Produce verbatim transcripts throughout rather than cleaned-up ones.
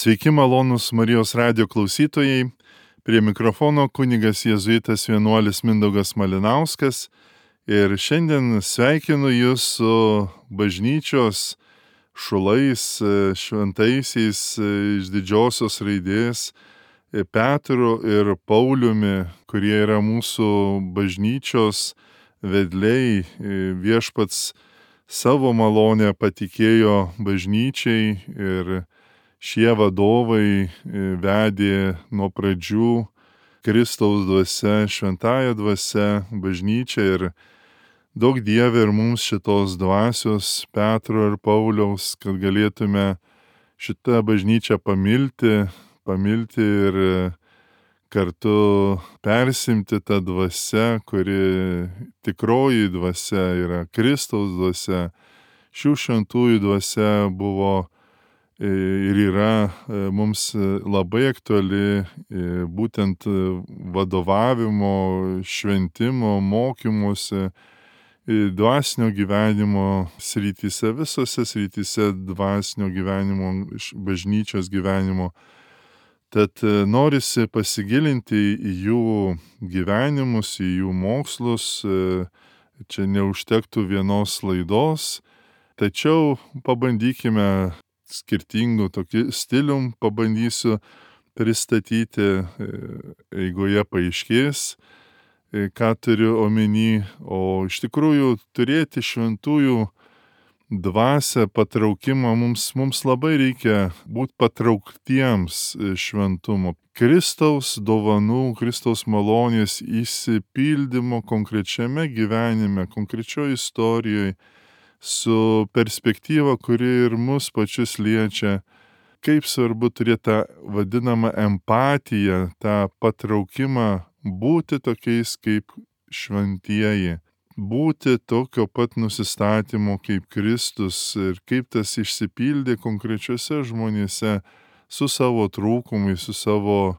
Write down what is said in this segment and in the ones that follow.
Sveiki malonūs Marijos radijo klausytojai, prie mikrofono kunigas jėzuitas vienuolis Mindaugas Malinauskas ir šiandien sveikinu jūs su bažnyčios šulais, šventaisiais iš didžiosios raidės Petru ir Pauliumi, kurie yra mūsų bažnyčios vedliai. Viešpats savo malonę patikėjo bažnyčiai ir šie vadovai vedė nuo pradžių Kristaus dvasia, šventąja dvasia bažnyčią ir daug Dieve ir mums šitos dvasios Petro ir Pauliaus, kad galėtume šitą bažnyčią pamilti, pamilti ir kartu persimti tą dvasią, kuri tikroji dvasia yra Kristaus dvasia. Šių šventųjų dvasia buvo ir yra mums labai aktuali būtent vadovavimo, šventimo, mokymuose, dvasinio gyvenimo srityse, visose srityse dvasinio gyvenimo, bažnyčios gyvenimo. Tad norisi pasigilinti į jų gyvenimus, į jų mokslus. Čia neužtektų vienos laidos, tačiau pabandykime skirtingų tokių stilium, pabandysiu pristatyti, eigoje paaiškės, ką turiu omeny, o iš tikrųjų turėti šventųjų dvasią, patraukimą, mums, mums labai reikia būti patrauktiems šventumo. Kristaus dovanų, Kristaus malonės išsipildymo konkrečiame gyvenime, konkrečioje istorijoje, su perspektyva, kuri ir mus pačius liečia. Kaip svarbu turėti tą vadinamą empatiją, tą patraukimą, būti tokiais kaip šventieji, būti tokio pat nusistatymo kaip Kristus ir kaip tas išsipildė konkrečiose žmonėse su savo trūkumais, su savo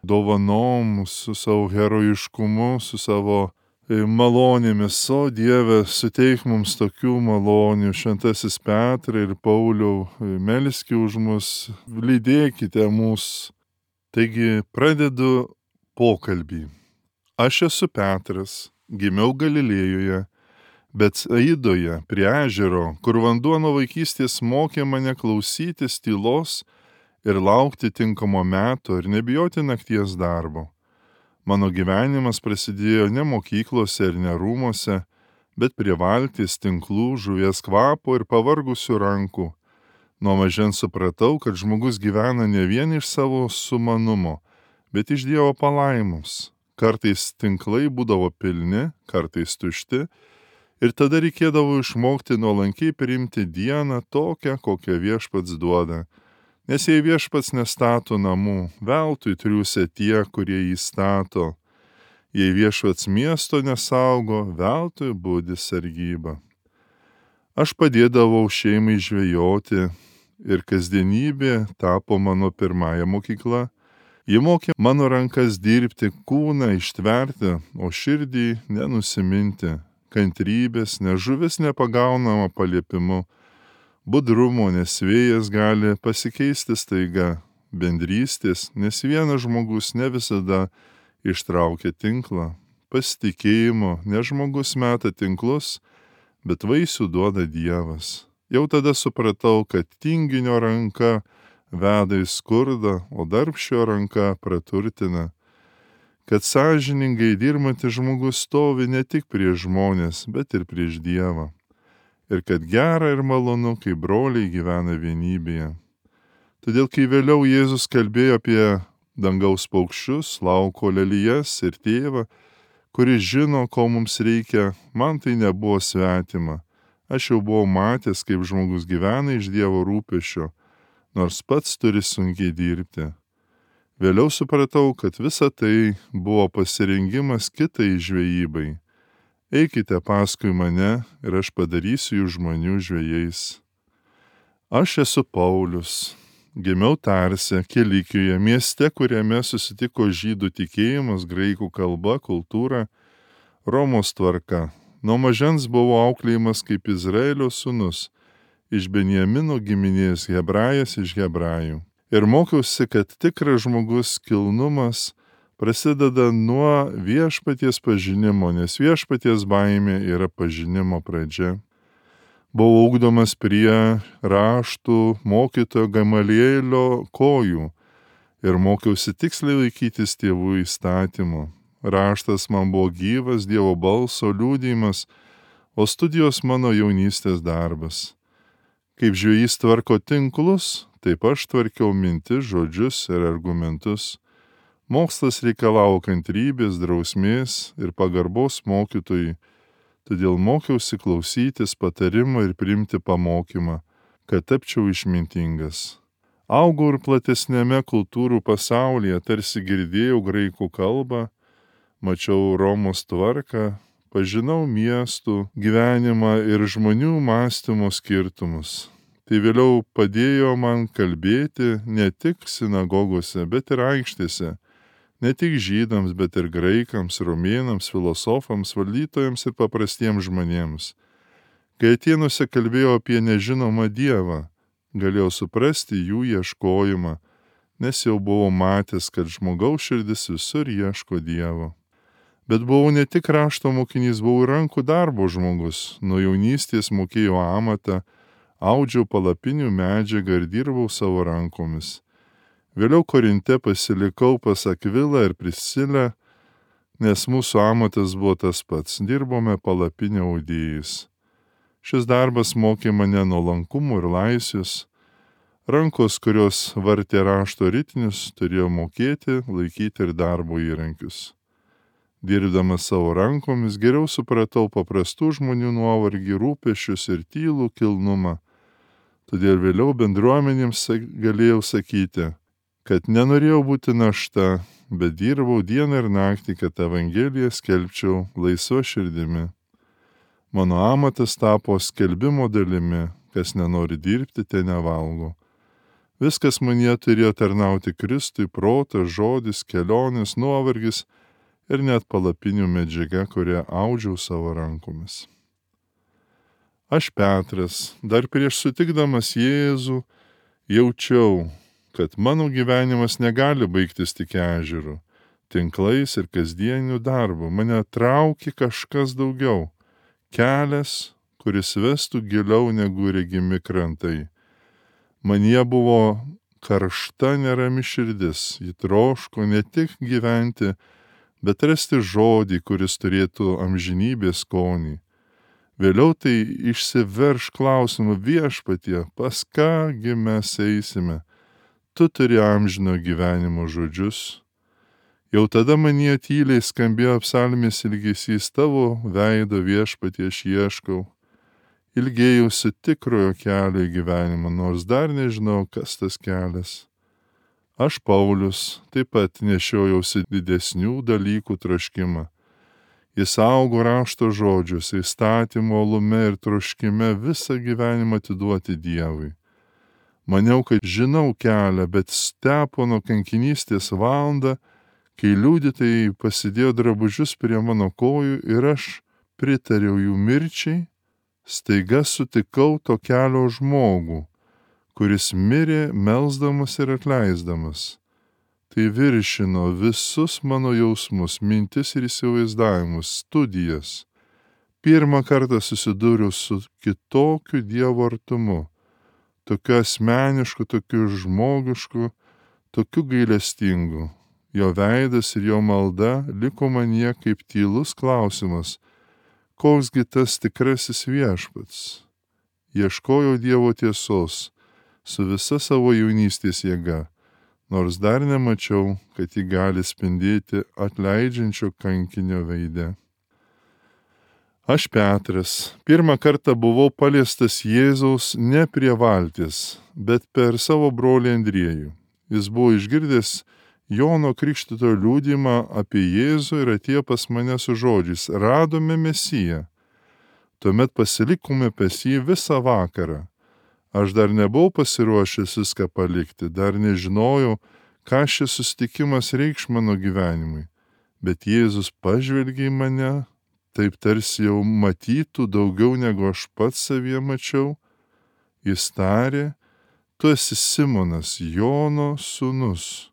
dovanom, su savo herojiškumu, su savo malonėmis. O Dieve, suteik mums tokių malonių. Šventasis Petrai ir Pauliau, melski už mus, lydėkite mus. Taigi pradedu pokalbį. Aš esu Petras, gimiau Galilėjoje, Betsaidoje prie ežero, kur vanduo nuo vaikystės mokė mane klausytis tylos ir laukti tinkamo meto ir nebijoti nakties darbo. Mano gyvenimas prasidėjo ne mokyklose ir ne rūmose, bet prie valties, tinklų, žuvies kvapo ir pavargusių rankų. Nuo mažens supratau, kad žmogus gyvena ne vien iš savo sumanumo, bet iš Dievo palaimos. Kartais tinklai būdavo pilni, kartais tušti, ir tada reikėdavo išmokti nuolankiai priimti dieną tokią, kokią Viešpats duoda. Nes jei Viešpats nestato namų, veltui triūsia tie, kurie jį stato. Jei Viešpats miesto nesaugo, veltui budi sargyba. Aš padėdavau šeimai žvejoti ir kasdienybė tapo mano pirmąja mokykla. Ji mokė mano rankas dirbti, kūną ištverti, o širdį nenusiminti, kantrybės, nes žuvis nepagaunama paliepimu. Budrumo, nes vėjas gali pasikeisti staiga, bendrystės, nes vienas žmogus ne visada ištraukia tinklą, pasitikėjimo, nes žmogus meta tinklus, bet vaisių duoda Dievas. Jau tada supratau, kad tinginio ranka veda į skurdą, o darbščio ranka praturtina, kad sąžiningai dirbantis žmogus stovi ne tik prieš žmonės, bet ir prieš Dievą. Ir kad gera ir malonu, kai broliai gyvena vienybėje. Todėl, kai vėliau Jėzus kalbėjo apie dangaus paukščius, lauko lelijas ir tėvą, kuris žino, ko mums reikia, man tai nebuvo svetima. Aš jau buvau matęs, kaip žmogus gyvena iš Dievo rūpesčio, nors pats turi sunkiai dirbti. Vėliau supratau, kad visa tai buvo pasirengimas kitai žvejybai. Eikite paskui mane ir aš padarysiu jų žmonių žvejais. Aš esu Paulius, gimiau Tarse, Kilikijoje, mieste, kuriame susitiko žydų tikėjimas, graikų kalba, kultūra, Romos tvarka. Nuo mažens buvau auklėjimas kaip Izraelio sūnus, iš Benjamino giminės, hebrajas iš hebrajų. Ir mokiausi, kad tikras žmogus kilnumas prasideda nuo viešpaties pažinimo, nes viešpaties baimė yra pažinimo pradžia. Buvau ugdomas prie raštų mokytojo Gamalielio kojų ir mokiausi tiksliai laikytis tėvų įstatymų. Raštas man buvo gyvas Dievo balso liudijimas, o studijos mano jaunystės darbas. Kaip žvejys tvarko tinklus, taip aš tvarkiau mintis, žodžius ir argumentus. Mokslas reikalavo kantrybės, drausmės ir pagarbos mokytojui, todėl mokiausi klausytis patarimo ir priimti pamokymą, kad tapčiau išmintingas. Augau ir platesnėme kultūrų pasaulyje, tarsi girdėjau graikų kalbą, mačiau Romos tvarką, pažinau miestų gyvenimą ir žmonių mąstymo skirtumus. Tai vėliau padėjo man kalbėti ne tik sinagogose, bet ir aikštėse, ne tik žydams, bet ir graikams, romėnams, filosofams, valdytojams ir paprastiems žmonėms. Kai Atėnuose kalbėjau apie nežinomą Dievą, galėjau suprasti jų ieškojimą, nes jau buvau matęs, kad žmogaus širdis visur ieško Dievo. Bet buvau ne tik rašto mokinys, buvau ir rankų darbo žmogus. Nuo jaunystės mokėjau amatą, audžiau palapinių medžiagą ir dirbau savo rankomis. Vėliau Korinte pasilikau pas Akvilą ir Priscilę, nes mūsų amatas buvo tas pats, dirbome palapinio audėjais. Šis darbas mokė mane nuolankumo ir laisvės. Rankos, kurios vartė rašto ritinius, turėjo mokėti laikyti ir darbo įrankius. Dirbdamas savo rankomis geriau supratau paprastų žmonių nuovargį, rūpesčius ir tylų kilnumą. Todėl vėliau bendruomenėms galėjau sakyti, kad nenorėjau būti našta, bet dirbau dieną ir naktį, kad Evangeliją skelbčiau laisva širdimi. Mano amatas tapo skelbimo dalimi, kas nenori dirbti, te nevalgo. Viskas manyje turėjo tarnauti Kristui, protas, žodis, kelionės, nuovargis ir net palapinių medžiaga, kurią audžiau savo rankomis. Aš Petras, dar prieš sutikdamas Jėzų, jaučiau, kad mano gyvenimas negali baigtis tik ežeru, tinklais ir kasdieniu darbu. Mane traukė kažkas daugiau, kelias, kuris vestų giliau negu regimi krantai. Manyje buvo karšta nerami širdis, ji troško ne tik gyventi, bet rasti žodį, kuris turėtų amžinybės skonį. Vėliau tai išsiverš klausimu Viešpatie, pas kągi mes eisime, tu turi amžino gyvenimo žodžius. Jau tada manyje tyliai skambėjo psalmės ilgesys, tavo veido Viešpatie aš ieškau. Ilgėjausi tikrojo kelio į gyvenimą, nors dar nežinau, kas tas kelias. Aš, Paulius, taip pat nešiojausi didesnių dalykų troškimą. Jis augo rašto žodžiuose, įstatymo uolume ir troškime visą gyvenimą atiduoti Dievui. Maniau, kad žinau kelią, bet Stepono kankinystės valandą, kai liudytojai pasidėjo drabužius prie mano kojų ir aš pritariau jų mirčiai, staiga sutikau to kelio žmogų, kuris mirė melsdamas ir atleisdamas. Tai viršino visus mano jausmus, mintis ir įsivaizdavimus, studijas. Pirmą kartą susidūriau su kitokiu Dievo artumu, tokiu asmenišku, tokiu žmogišku, tokiu gailestingu. Jo veidas ir jo malda liko manyje kaip tylus klausimas, koksgi tas tikrasis viešpats. Ieškojau Dievo tiesos su visa savo jaunystės jėga, nors dar nemačiau, kad ji gali spindėti atleidžiančio kankinio veide. Aš Petras, pirmą kartą buvau paliestas Jėzaus ne prie valties, bet per savo brolį Andriejų. Jis buvo išgirdęs Jono Krikštytojo liudijimą apie Jėzų ir atėjo pas mane su žodžiais, radome Mesiją. Tuomet pasilikome pas jį visą vakarą. Aš dar nebuvau pasiruošęs viską palikti, dar nežinojau, ką šis susitikimas reikš mano gyvenimui. Bet Jėzus pažvelgė į mane, taip tarsi jau matytų daugiau negu aš pats savyje mačiau. Jis tarė, tu esi Simonas, Jono sūnus,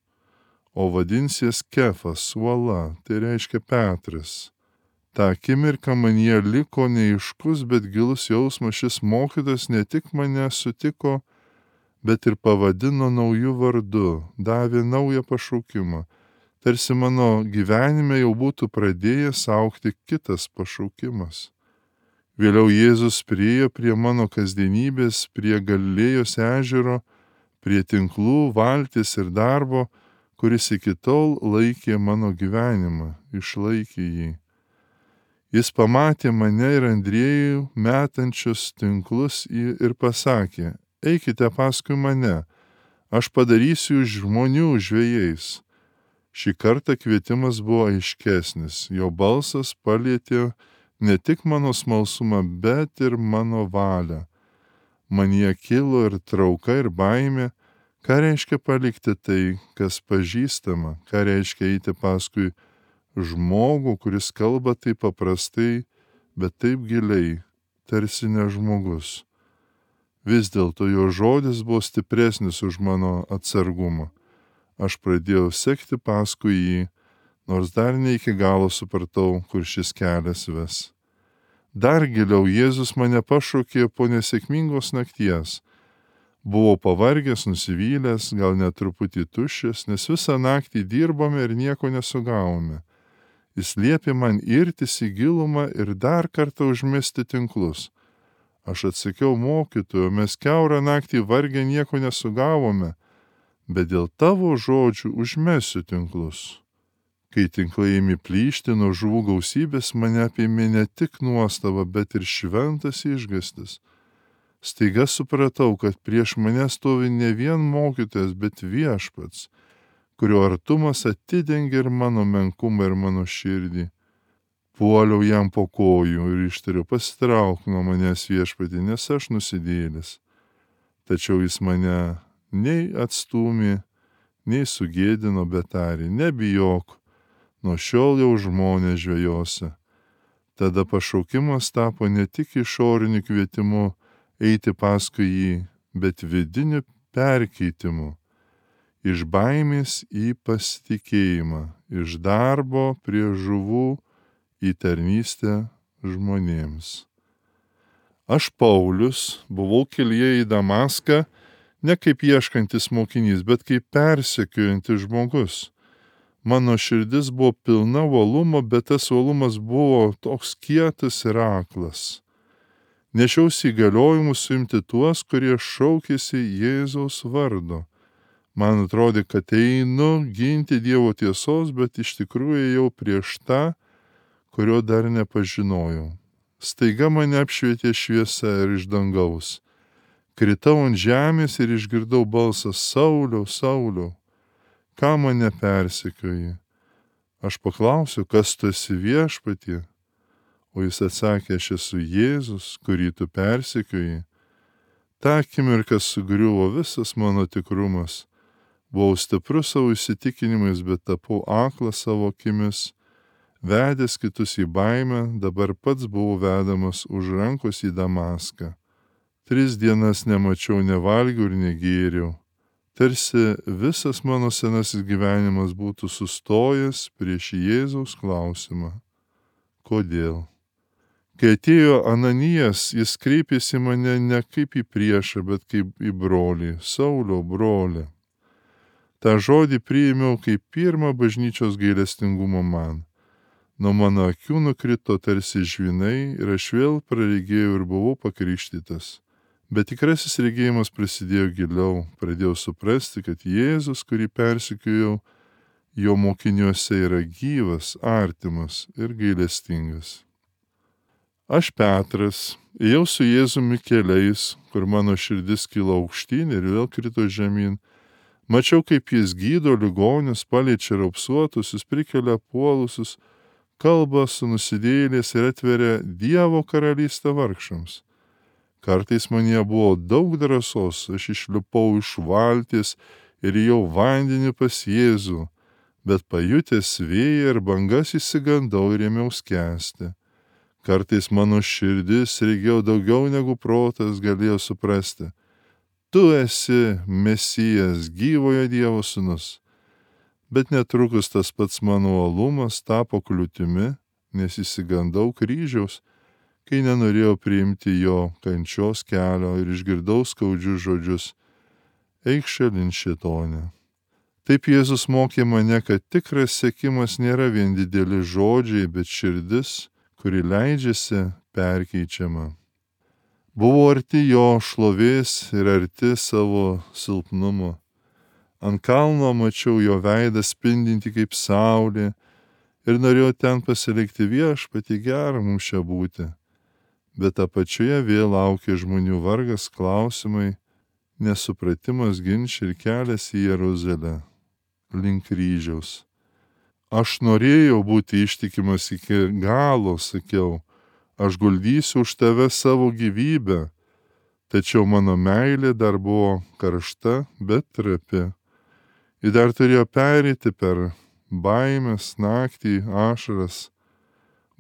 o vadinsies Kefas, uola, tai reiškia Petras. Ta akimirką manyje liko neiškus, bet gilus jausmas, šis mokytas ne tik mane sutiko, bet ir pavadino nauju vardu, davė naują pašaukimą. Tarsi mano gyvenime jau būtų pradėjęs augti kitas pašaukimas. Vėliau Jėzus priėjo prie mano kasdienybės, prie Galilėjos ežero, prie tinklų, valties ir darbo, kuris iki tol laikė mano gyvenimą, išlaikė jį. Jis pamatė mane ir Andriejų metančius tinklus ir pasakė, eikite paskui mane, aš padarysiu žmonių žvejais. Šį kartą kvietimas buvo aiškesnis, jo balsas palietė ne tik mano smalsumą, bet ir mano valią. Manyje kilo ir trauka, ir baimė, ką reiškia palikti tai, kas pažįstama, ką reiškia eiti paskui žmogų, kuris kalba taip paprastai, bet taip giliai, tarsi ne žmogus. Vis dėlto jo žodis buvo stipresnis už mano atsargumą. Aš pradėjau sekti paskui jį, nors dar ne iki galo supratau, kur šis kelias ves. Dar giliau Jėzus mane pašaukė po nesėkmingos nakties. Buvau pavargęs, nusivylęs, gal net truputį tuščias, nes visą naktį dirbome ir nieko nesugavome. Jis liepė man irtis į gilumą ir dar kartą užmesti tinklus. Aš atsakiau mokytojo, mes kiaurą naktį vargę nieko nesugavome, bet dėl tavo žodžių užmesiu tinklus. Kai tinklai ėmė plyšti nuo žuvų gausybės, mane apėmė ne tik nuostaba, bet ir šventas išgąstis. Staiga supratau, kad prieš mane stovi ne vien mokytojas, bet viešpats, kurio artumas atidengia ir mano menkumą ir mano širdį. Puoliau jam po kojų ir ištariu, pasitrauk nuo manęs viešpatį, nes aš nusidėlis. Tačiau jis mane nei atstūmė, nei sugėdino, bet tarė, nebijok, nuo šiol jau žmonės žvejosi. Tada pašaukimas tapo ne tik išoriniu kvietimu eiti paskui jį, bet vidiniu perkeitimu. Iš baimės į pasitikėjimą, iš darbo prie žuvų į tarnystę žmonėms. Aš, Paulius, buvau kelyje į Damaską, ne kaip ieškantis mokinys, bet kaip persekiojantis žmogus. Mano širdis buvo pilna uolumo, bet tas uolumas buvo toks kietas ir aklas. Nešiausi įgaliojimus suimti tuos, kurie šaukėsi Jėzaus vardo. Man atrodė, kad einu ginti Dievo tiesos, bet iš tikrųjų ėjau prieš tą, kurio dar nepažinojau. Staiga mane apšvietė šviesa ir iš dangaus. Kritau ant žemės ir išgirdau balsą, Sauliau, Sauliau, ką mane persekioji? Aš paklausiau, kas tu esi viešpatie? O jis atsakė, aš esu Jėzus, kurį tu persekioji. Ta akimirka sugriuvo visas mano tikrumas. Buvau stiprus savo įsitikinimais, bet tapau aklas savo akimis. Vedęs kitus į baimę, dabar pats buvau vedamas už rankos į Damaską. Tris dienas nemačiau, nevalgiau ir negėriau. Tarsi visas mano senasis gyvenimas būtų sustojęs prieš Jėzaus klausimą. Kodėl? Kai atėjo Ananijas, jis kreipėsi mane ne kaip į priešą, bet kaip į brolį, Saulio brolį. Ta žodį priėmiau kaip pirmą bažnyčios gailestingumą man. Nuo mano akių nukrito tarsi žvynai ir aš vėl praregėjau ir buvau pakrikštytas. Bet tikrasis regėjimas prasidėjo giliau, pradėjau suprasti, kad Jėzus, kurį persekiojau, jo mokiniuose yra gyvas, artimas ir gailestingas. Aš Petras, ėjau su Jėzumi keliais, kur mano širdis kilo aukštyn ir vėl krito žemyn. Mačiau, kaip jis gydo ligonius, paliečia raupsuotusius, prikelia puolusius, kalba su nusidėjėliais ir atveria Dievo karalystę vargšams. Kartais manyje buvo daug drąsos, aš išlipau iš valties ir ėjau vandenį pas Jėzų, bet pajutęs vėją ir bangas išsigandau ir ėmiau skęsti. Kartais mano širdis regėjo daugiau negu protas galėjo suprasti. tu esi Mesijas, gyvojo Dievo sūnus. Bet netrukus tas pats mano uolumas tapo kliūtimi, nes įsigandau kryžiaus, kai nenorėjau priimti jo kančios kelio ir išgirdau skaudžius žodžius: eik šalin, šėtone. Taip Jėzus mokė mane, kad tikras sekimas nėra vien dideli žodžiai, bet širdis, kuri leidžiasi perkeičiama. Buvau arti jo šlovės ir arti savo silpnumo. Ant kalno mačiau jo veidą spindinti kaip saulė ir norėjau ten pasilikti: viešpatie, gera mums čia būti. Bet apačioje vėl laukia žmonių vargas, klausimai, nesupratimas, ginčiai ir kelias į Jeruzalę link kryžiaus. Aš norėjau būti ištikimas iki galo, sakiau, aš guldysiu už tave savo gyvybę, tačiau mano meilė dar buvo karšta, bet trapi. Ji dar turėjo pereiti per baimės, naktį, ašaras,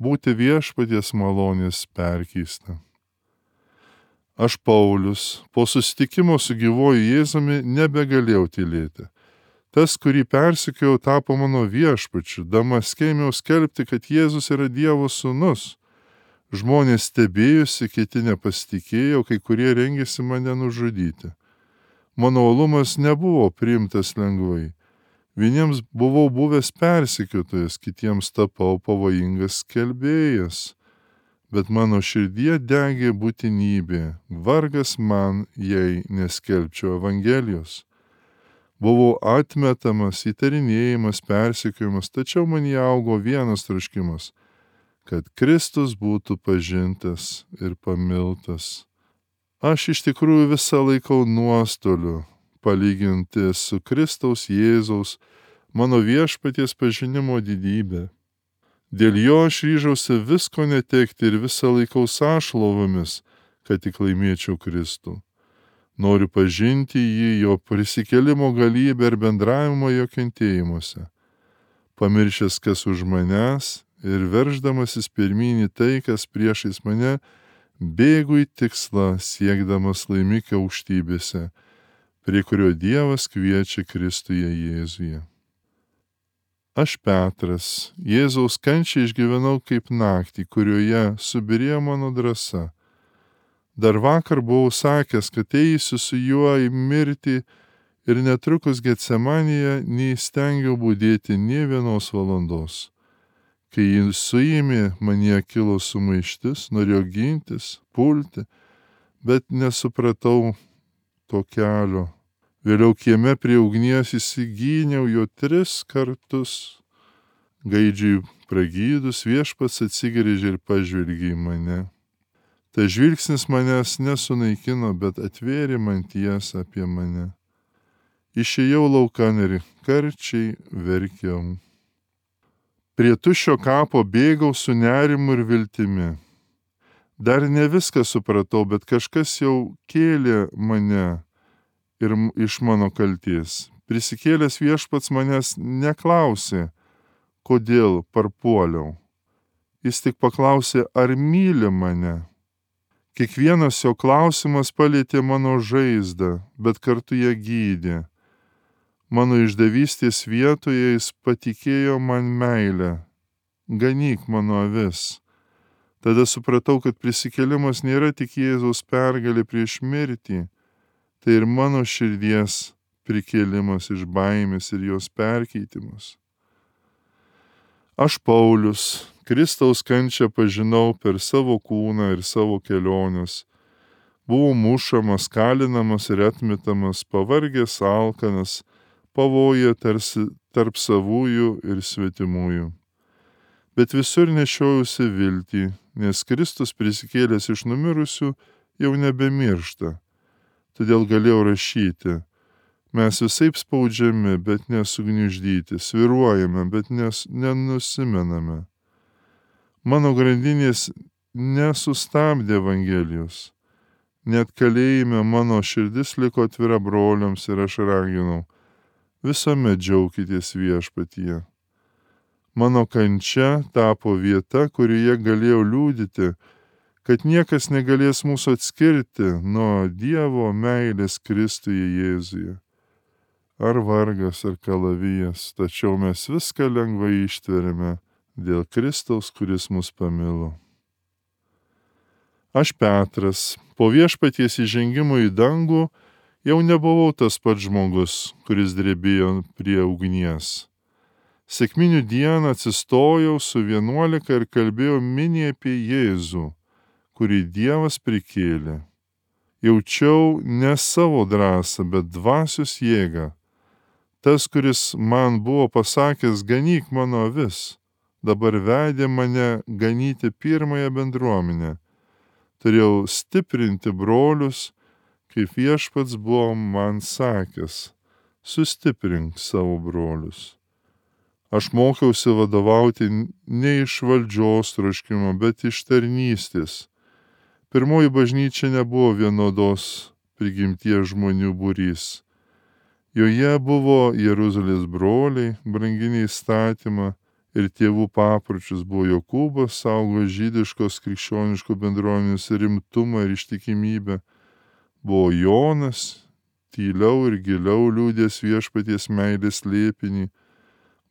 būti viešpaties malonės perkeista. Aš, Paulius, po susitikimo su gyvuoju Jėzumi nebegalėjau tylėti. Tas, kurį persekiojau, tapo mano viešpačiu. Damaske ėmiau skelbti, kad Jėzus yra Dievo sūnus. Žmonės stebėjusi, kiti nepasitikėjo, kai kurie rengėsi mane nužudyti. Mano uolumas nebuvo priimtas lengvai. Vieniems buvau buvęs persekiotojas, kitiems tapau pavojingas skelbėjas. Bet mano širdie degė būtinybė, vargas man, jei neskelbčiau Evangelijos. Buvau atmetamas, įtarinėjimas, persekiojimas, tačiau man įaugo vienas troškimas, kad Kristus būtų pažintas ir pamiltas. Aš iš tikrųjų visą laikau nuostoliu, palyginti su Kristaus Jėzaus, mano viešpaties pažinimo didybė. Dėl jo aš ryžausi visko netekti ir visą laikau sąšlovomis, kad tik laimėčiau Kristų. Noriu pažinti jį, jo prisikėlimo galybę ir bendravimo jo kentėjimuose. Pamiršęs, kas už manęs ir verždamasis pirmyn į tai, kas priešais mane, bėgu į tikslą, siekdamas laimikio aukštybėse, prie kurio Dievas kviečia Kristuje Jėzuje. Aš, Petras, Jėzaus kančią išgyvenau kaip naktį, kurioje subirėjo mano drąsa. Dar vakar buvau sakęs, kad eisiu su juo į mirtį ir netrukus Getsemanėje neįstengiau budėti nė vienos valandos. Kai jį suėmė, manyje kilo sumaištis, norėjau gintis, pulti, bet nesupratau to kelio. Vėliau kieme prie ugnies įsigyniau jo tris kartus. Gaidžiui pragydus Viešpats atsigręžė ir pažvelgė į mane. Ta žvilgsnis manęs nesunaikino, bet atvėrė man tiesą apie mane. Išėjau laukan ir karčiai verkiau. Prie tuščio kapo bėgau su nerimu ir viltimi. Dar ne viską supratau, bet kažkas jau kėlė mane ir iš mano kalties. Prisikėlęs Viešpats manęs neklausė, kodėl parpuoliau. Jis tik paklausė, ar myli mane. Kiekvienas jo klausimas palietė mano žaizdą, bet kartu ją gydė. Mano išdavystės vietoje jis patikėjo man meilę. Ganyk mano avis. Tada supratau, kad prisikėlimas nėra tik Jėzaus pergalė prieš mirtį, tai ir mano širdies prikėlimas iš baimės ir jos perkeitimas. Aš, Paulius, Kristaus kančią pažinau per savo kūną ir savo keliones. Buvau mušamas, kalinamas ir atmetamas, pavargęs, alkanas, pavoja tarsi tarp savųjų ir svetimųjų. Bet visur nešiojausi viltį, nes Kristus prisikėlęs iš numirusių jau nebemiršta. Todėl galėjau rašyti: mes visaip spaudžiami, bet nesugniuždyti, sviruojame, bet nes, nenusimename. Mano grandinės nesustabdė Evangelijos. Net kalėjime mano širdis liko atvira broliams ir aš raginau: visuomet džiaukitės Viešpatyje. Mano kančia tapo vieta, kurioje galėjau liudyti, kad niekas negalės mūsų atskirti nuo Dievo meilės Kristuje Jėzuje. Ar vargas, ar kalavijas, tačiau mes viską lengvai ištveriame dėl Kristaus, kuris mus pamilo. Aš Petras, po Viešpaties įžengimo į dangų, jau nebuvau tas pats žmogus, kuris drebėjo prie ugnies. Sekminių dieną atsistojau su vienuolika ir kalbėjau miniai apie Jėzų, kurį Dievas prikėlė. Jaučiau ne savo drąsą, bet dvasios jėgą. Tas, kuris man buvo pasakęs, ganyk mano avis, dabar vedė mane ganyti pirmąją bendruomenę. Turėjau stiprinti brolius, kaip Viešpats buvo man sakęs, sustiprink savo brolius. Aš mokiausi vadovauti ne iš valdžios troškimo, bet iš tarnystės. Pirmoji bažnyčia nebuvo vienodos prigimties žmonių būrys. Joje buvo Jeruzalės broliai, branginiai įstatymą ir tėvų papročius, buvo Jokūbas, saugo žydiškos krikščioniškų bendruomenės rimtumą ir ištikimybę. Buvo Jonas, tyliau ir giliau liūdės Viešpaties meilės slėpinį.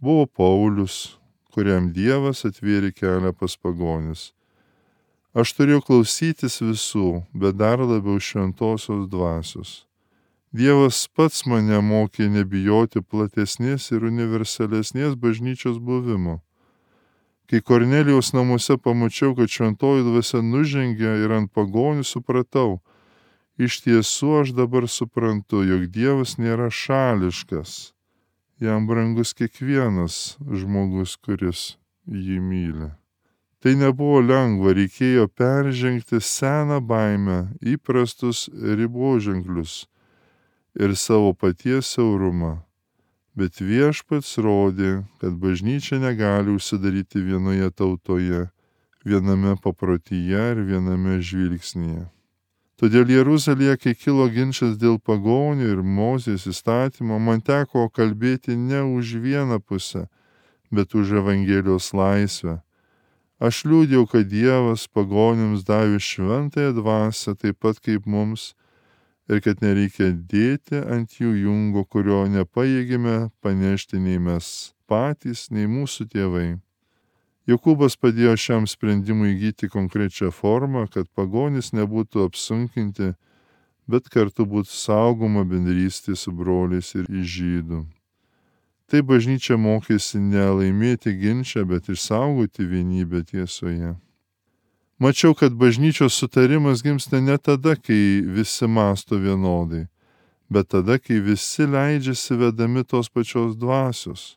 Buvo Paulius, kuriam Dievas atvėrė kelią pas pagonis. Aš turėjau klausytis visų, bet dar labiau šventosios dvasios. Dievas pats mane mokė nebijoti platesnės ir universalesnės bažnyčios buvimo. Kai Kornelijaus namuose pamačiau, kad šventoji dvasia nužengė ir ant pagonių, supratau, iš tiesų aš dabar suprantu, jog Dievas nėra šališkas. Jam brangus kiekvienas žmogus, kuris jį myli. Tai nebuvo lengva, reikėjo peržengti seną baimę, įprastus riboženklius ir savo paties siaurumą. Bet Viešpats rodė, kad bažnyčia negali užsidaryti vienoje tautoje, viename paprotyje ir viename žvilgsnyje. Todėl Jeruzalėje, kai kilo ginčas dėl pagonių ir Mozės įstatymo, man teko kalbėti ne už vieną pusę, bet už Evangelijos laisvę. Aš liūdėjau, kad Dievas pagonims davė šventąją dvasią taip pat kaip mums ir kad nereikia dėti ant jų jungo, kurio nepajėgime panešti nei mes patys, nei mūsų tėvai. Jokūbas padėjo šiam sprendimui įgyti konkrečią formą, kad pagonys nebūtų apsunkinti, bet kartu būtų saugoma bendrystė su broliais ir iš žydų. Tai bažnyčia mokėsi ne laimėti ginčą, bet išsaugoti vienybę tiesoje. Mačiau, kad bažnyčios sutarimas gimsta ne tada, kai visi mąsto vienodai, bet tada, kai visi leidžiasi vedami tos pačios dvasios.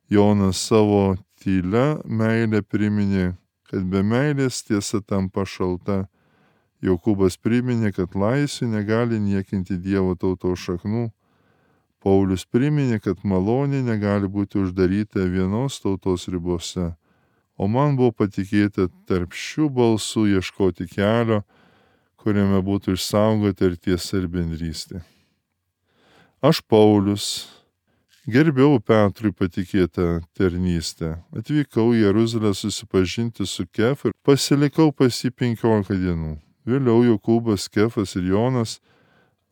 Jonas savo tylia meilė priminė, kad be meilės tiesa tampa šalta. Jokūbas priminė, kad laisvė negali niekinti Dievo tautos šaknų. Paulius priminė, kad malonė negali būti uždaryta vienos tautos ribose. O man buvo patikėta tarp šių balsų ieškoti kelio, kuriame būtų išsaugota ir tiesa ir bendrystė. Aš Paulius gerbiau Petrui patikėtą tarnystę. Atvykau į Jeruzalę susipažinti su Kefu ir pasilikau pas jį penkiolika dienų. Vėliau Jokūbas, Kefas ir Jonas,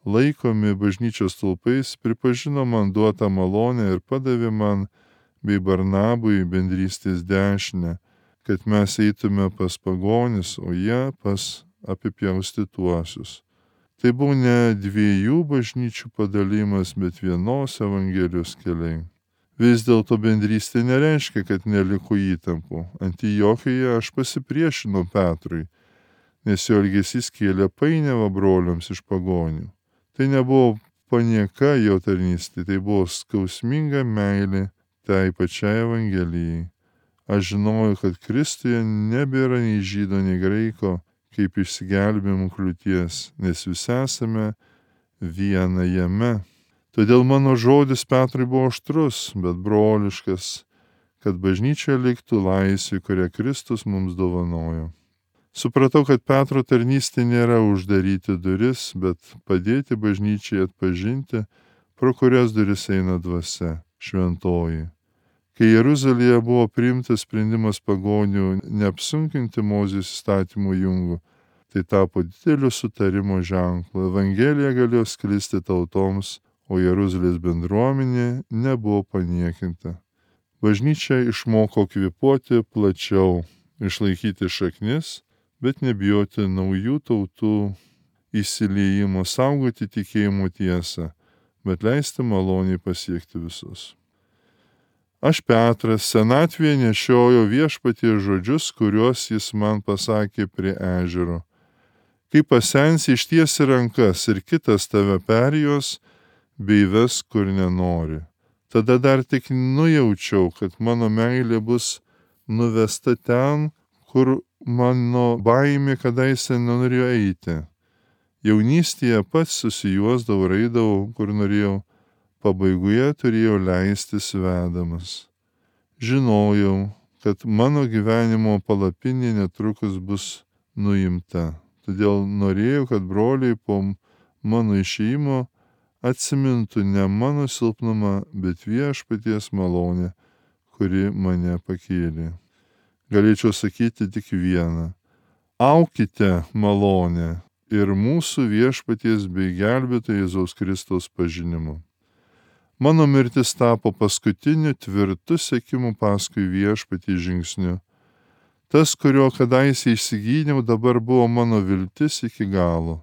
laikomi bažnyčios stulpais, pripažino man duotą malonę ir padavė man bei Barnabui bendrystės dešinę, kad mes eitume pas pagonis, o jie pas apipjaustytuosius. Tai buvo ne dviejų bažnyčių padalimas, bet vienos Evangelijos keliai. Vis dėlto bendrystė nereiškia, kad neliko įtampų. Antiochijoje aš pasipriešinau Petrui, nes jo elgesys kėlė painiavą broliams iš pagonių. Tai nebuvo panieka jo tarnystė, tai buvo skausminga meilė tai pačiai Evangelijai. Aš žinojau, kad Kristuje nebėra nei žydo, nei graiko, kaip išsigelbėjimo kliūties, nes visi esame viena jame. Todėl mano žodis Petrui buvo aštrus, bet broliškas, kad bažnyčioje liktų laisvė, kurią Kristus mums dovanojo. Supratau, kad Petro tarnystė nėra uždaryti duris, bet padėti bažnyčiai atpažinti, pro kurias duris eina dvasia, šventoji. Kai Jeruzalėje buvo priimtas sprendimas pagonių neapsunkinti Mozės įstatymo jungų, tai tapo dideliu sutarimo ženklu. Evangelija galėjo sklisti tautoms, o Jeruzalės bendruomenė nebuvo paniekinta. Bažnyčia išmoko kvėpuoti plačiau, išlaikyti šaknis, bet nebijoti naujų tautų įsiliejimo, saugoti tikėjimo tiesą, bet leisti maloniai pasiekti visus. Aš Petras senatvėje nešiojo Viešpaties žodžius, kuriuos jis man pasakė prie ežero. Kai pasensi, ištiesi rankas ir kitas tave perjos, bei ves kur nenori. Tada dar tik nujaučiau, kad mano meilė bus nuvesta ten, kur mano baimė kadaise nenorėjo eiti. Jaunystėje pats susijuosdavau, raidavau, kur norėjau, pabaigoje turėjau leistis vedamas. Žinojau, kad mano gyvenimo palapinė netrukus bus nuimta. Todėl norėjau, kad broliai po mano išėjimo atsimintų ne mano silpnumą, bet Viešpaties malonę, kuri mane pakėlė. Galėčiau sakyti tik vieną. Aukite malonę ir mūsų Viešpaties bei gelbėtojo Jėzaus Kristaus pažinimu. Mano mirtis tapo paskutiniu tvirtu sekimu paskui Viešpatį žingsniu. Tas, kurio kadaise išsigydžiau, dabar buvo mano viltis iki galo.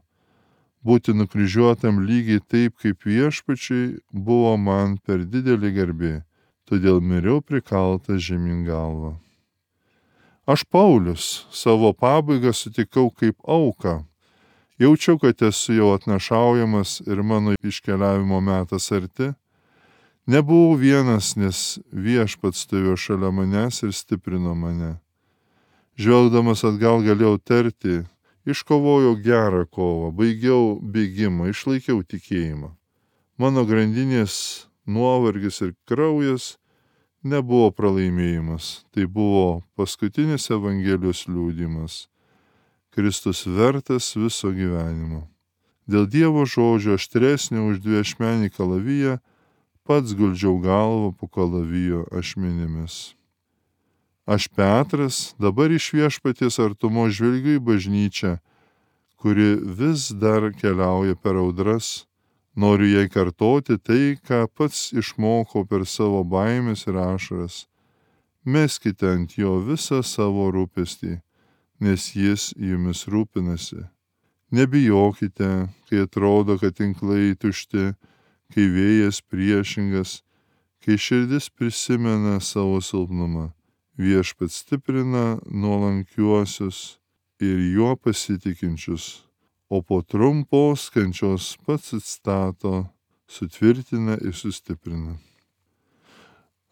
Būti nukryžiuotam lygiai taip, kaip Viešpačiui, buvo man per didelį garbė, todėl miriau prikaltas žemyn galva. Aš Paulius savo pabaigą sutikau kaip auką. Jaučiau, kad esu jau atnašaujamas ir mano iškeliavimo metas arti. Nebuvau vienas, nes Viešpats stovėjo šalia manęs ir stiprino mane. Žvelgdamas atgal galėjau tarti, iškovojau gerą kovą, baigiau bėgimą, išlaikiau tikėjimą. Mano grandinės nuovargis ir kraujas nebuvo pralaimėjimas, tai buvo paskutinis Evangelijos liudijimas. Kristus vertas viso gyvenimo. Dėl Dievo žodžio aštresnio už dviašmenį kalaviją, pats guldžiau galvą po kalavijo ašmenimis. Aš Petras dabar iš Viešpaties artumo žvelgiu į bažnyčią, kuri vis dar keliauja per audras. Noriu jai kartoti tai, ką pats išmokau per savo baimės ir ašaras. Meskite ant jo visą savo rūpestį, nes jis jumis rūpinasi. Nebijokite, kai atrodo, kad tinklai tušti, kai vėjas priešingas, kai širdis prisimena savo silpnumą. Viešpats stiprina nuolankiuosius ir juo pasitikinčius, o po trumpos kančios pats atstato, sutvirtina ir sustiprina.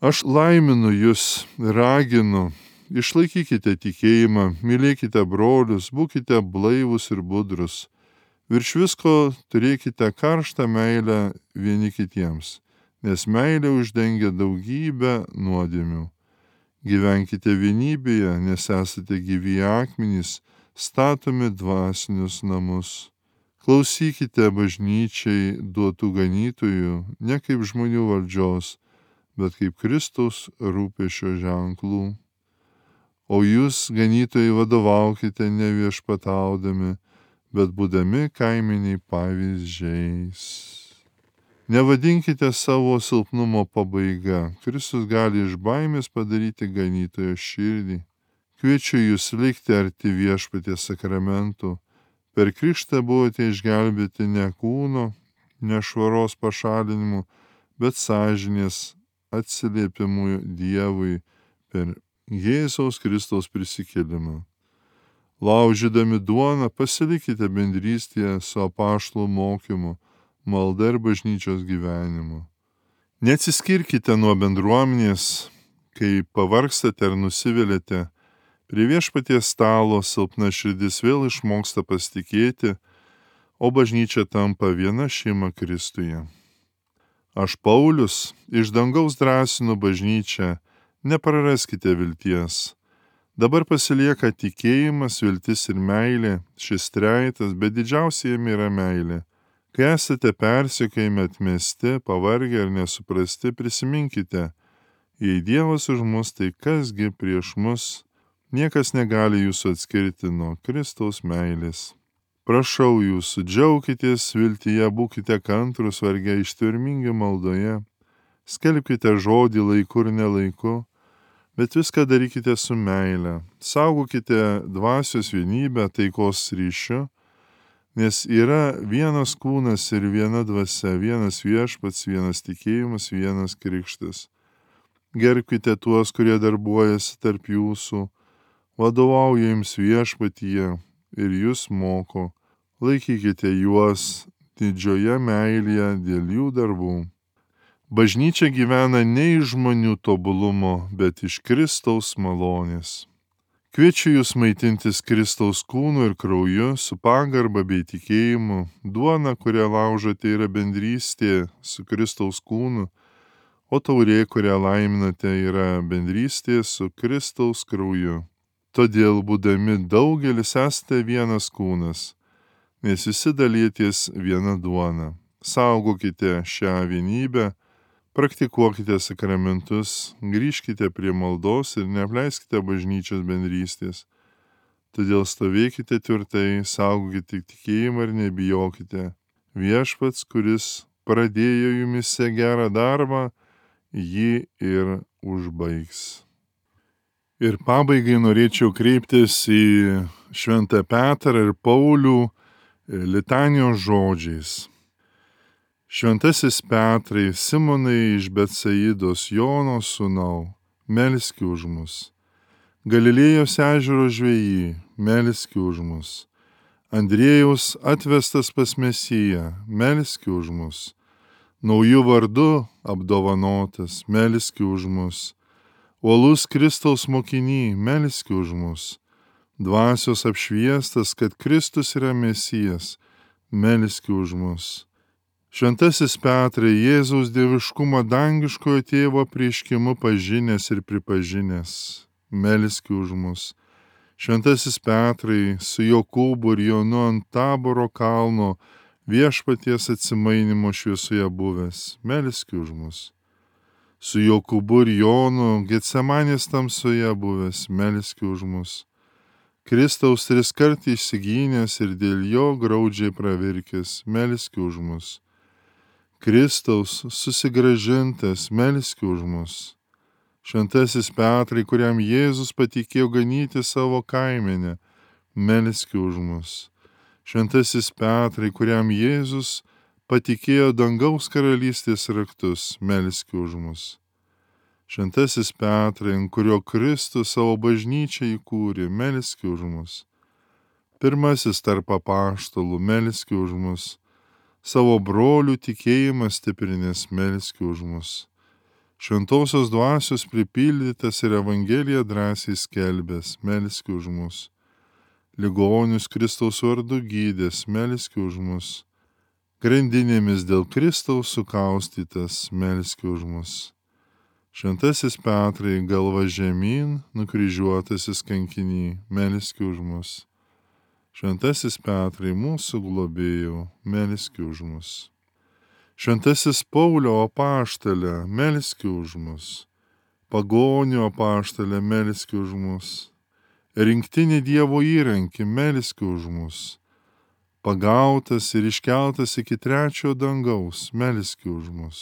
Aš laiminu jūs, raginu, išlaikykite tikėjimą, mylėkite brolius, būkite blaivus ir budrus. Virš visko turėkite karštą meilę vieni kitiems, nes meilė uždengia daugybę nuodėmių. Gyvenkite vienybėje, nes esate gyvi akmenys, statomi dvasinius namus. Klausykite bažnyčiai duotų ganytojų, ne kaip žmonių valdžios, bet kaip Kristaus rūpesčio ženklų. O jūs, ganytojai, vadovaukite ne viešpataudami, bet būdami kaiminiai pavyzdžiais. Nevadinkite savo silpnumo pabaiga. Kristus gali iš baimės padaryti ganytojo širdį. Kviečiu jūs likti arti Viešpaties sakramentų. Per krikštą buvote išgelbėti ne kūno, ne švaros pašalinimu, bet sąžinės atsiliepimu Dievui per Jėzaus Kristaus prisikėlimą. Laužydami duoną pasilikite bendrystėje su apaštalų mokymu, malda ir bažnyčios gyvenimu. Neatsiskirkite nuo bendruomenės, kai pavargstate ar nusiviliate. Prie Viešpaties stalo silpna širdis vėl išmoksta pasitikėti, o bažnyčia tampa viena šeima Kristuje. Aš Paulius iš dangaus drąsinu bažnyčią, nepraraskite vilties. Dabar pasilieka tikėjimas, viltis ir meilė, šis trejetas, bet didžiausia jame yra meilė. Kai esate persekiojami, atmesti, pavargę ir nesuprasti, prisiminkite, Jei Dievas už mus, tai kasgi prieš mus? Niekas negali jūsų atskirti nuo Kristaus meilės. Prašau jūsų, džiaukitės viltyje, būkite kantrus varge, ištvermingi maldoje, skelbkite žodį laiku ir nelaiku, bet viską darykite su meile. Saugokite dvasios vienybę, taikos ryšiu, nes yra vienas kūnas ir viena dvasia, vienas viešpats, vienas tikėjimas, vienas krikštas. Gerbkite tuos, kurie darbuojasi tarp jūsų, vadovauja jums viešpatyje ir jūs moko. Laikykite juos didžioje meilėje dėl jų darbų. Bažnyčia gyvena ne iš žmonių tobulumo, bet iš Kristaus malonės. Kviečiu jūs maitintis Kristaus kūnu ir krauju su pagarba bei tikėjimu. Duona, kurią laužote, yra bendrystė su Kristaus kūnu, o taurė, kurią laiminate, yra bendrystė su Kristaus krauju. Todėl, būdami daugelis, esate vienas kūnas, nes visi dalyties viena duona. Saugokite šią vienybę, praktikuokite sakramentus, grįžkite prie maldos ir neapleiskite bažnyčios bendrystės. Todėl stovėkite tvirtai, saugokite tikėjimą ir nebijokite. Viešpats, kuris pradėjo jumise gerą darbą, jį ir užbaigs. Ir pabaigai norėčiau kreiptis į Šventą Petrą ir Paulių litanijos žodžiais. Šventasis Petrai, Simonai iš Betsaidos, Jono sūnau, melski už mus. Galilėjos ežero žvejį, melski už mus. Andriejaus atvestas pas Mesiją, melski už mus. Naujų vardu apdovanotas, melski už mus. Uolus Kristaus mokinį, melski už mus. Dvasios apšviestas, kad Kristus yra Mesijas, melski už mus. Šventasis Petrai, Jėzaus dieviškumo dangiškojo tėvo prieškimu pažinęs ir pripažinęs, melski už mus. Šventasis Petrai, su Jokūbu ir Jonu ant Taboro kalno viešpaties atsimainimo šviesoje buvęs, melski už mus. Su Jokūbu ir Jonu Getsemanės tamsoje buvęs, melski už mus. Kristaus triskart išsigynęs ir dėl jo graudžiai pravirkęs, melski už mus. Kristaus susigrąžintas, melski už mus. Šventasis Petrai, kuriam Jėzus patikėjo ganyti savo kaimenę, melski už mus. Šventasis Petrai, kuriam Jėzus patikėjo dangaus karalystės raktus, melski už mus. Šventasis Petrai, ant kurio Kristus savo bažnyčią įkūrė, melski už mus. Pirmasis tarp apaštalų, melski už mus. Savo brolių tikėjimą stiprinės, melski už mus. Šventosios dvasios pripildytas ir Evangeliją drąsiai skelbęs, melski už mus. Ligonius Kristaus vardu gydęs, melski už mus. Grandinėmis dėl Kristaus sukaustytas, melski už mus. Šventasis Petrai, galva žemyn, nukryžiuotasis kankinį, melski už mus. Šventasis Petrai, mūsų globėjau, melski už mus. Šventasis Paulio apaštalė, melski už mus. Pagonių apaštalė, melski už mus. Rinktinė Dievo įrankį, melski už mus. Pagautas ir iškeltas iki trečio dangaus, melski už mus.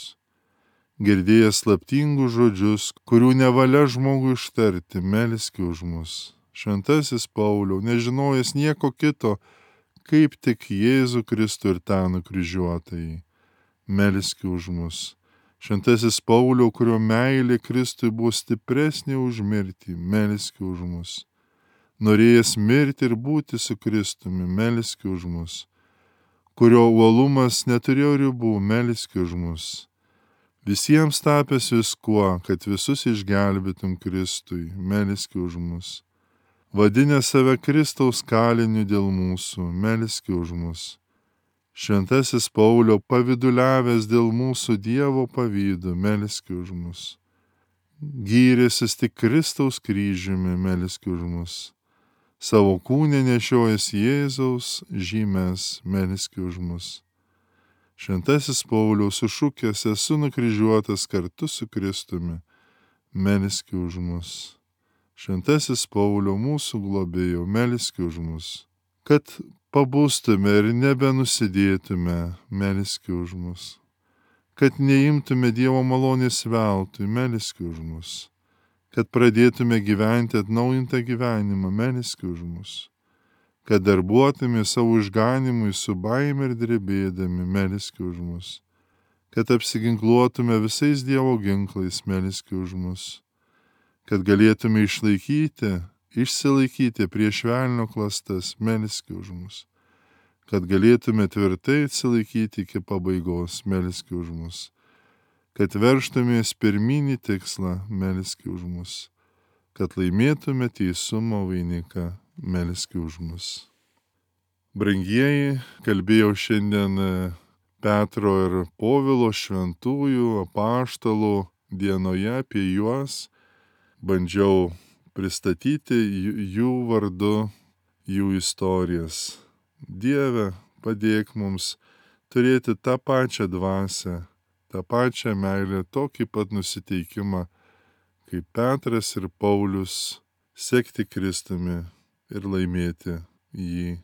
Girdėjęs slaptingus žodžius, kurių nevalia žmogui ištarti, melski už mus. Šventasis Pauliau, nežinojęs nieko kito, kaip tik Jėzų Kristų ir tą nukryžiuotąjį, melski už mus. Šventasis Pauliau, kurio meilė Kristui buvo stipresnė už mirtį, melski už mus. Norėjęs mirti ir būti su Kristumi, melski už mus. Kurio uolumas neturėjo ribų, melski už mus. Visiems tapęs viskuo, kad visus išgelbėtum Kristui, melski už mus. Vadinę save Kristaus kaliniu dėl mūsų, melski už mus. Šventasis Paulio paviduliavęs dėl mūsų Dievo pavydu, melski už mus. Gyrėsis tik Kristaus kryžiumi, melski už mus. Savo kūne nešiojas Jėzaus žymes, melski už mus. Šventasis Pauliaus sušukęs, esu nukryžiuotas kartu su Kristumi, melski už mus. Šventasis Pauliau, mūsų globėjau, melski už mus. Kad pabustume ir nebenusidėtume, melski už mus. Kad neimtume Dievo malonės veltui, melski už mus. Kad pradėtume gyventi atnaujintą gyvenimą, melski už mus. Kad darbuotume savo išganimui su baime ir drebėdami, melski už mus. Kad apsiginkluotume visais Dievo ginklais, melski už mus. Kad galėtume išlaikyti, išsilaikyti prieš velnio klastas, melski už mus. Kad galėtume tvirtai atsilaikyti iki pabaigos, melski už mus. Kad verštumės pirminį tikslą, melski už mus. Kad laimėtume teisumo vainiką, melski už mus. Brangieji, kalbėjau šiandien Petro ir Povilo šventųjų apaštalų dienoje apie juos. Bandžiau pristatyti jų vardu, jų istorijas. Dieve, padėk mums turėti tą pačią dvasią, tą pačią meilę, tokį pat nusiteikimą, kaip Petras ir Paulius, sekti Kristumi ir laimėti jį,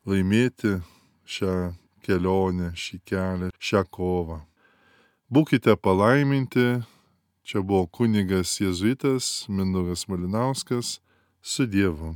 laimėti šią kelionę, šį kelią, šią kovą. Būkite palaiminti, čia buvo kunigas jėzuitas Mindaugas Malinauskas, su Dievu.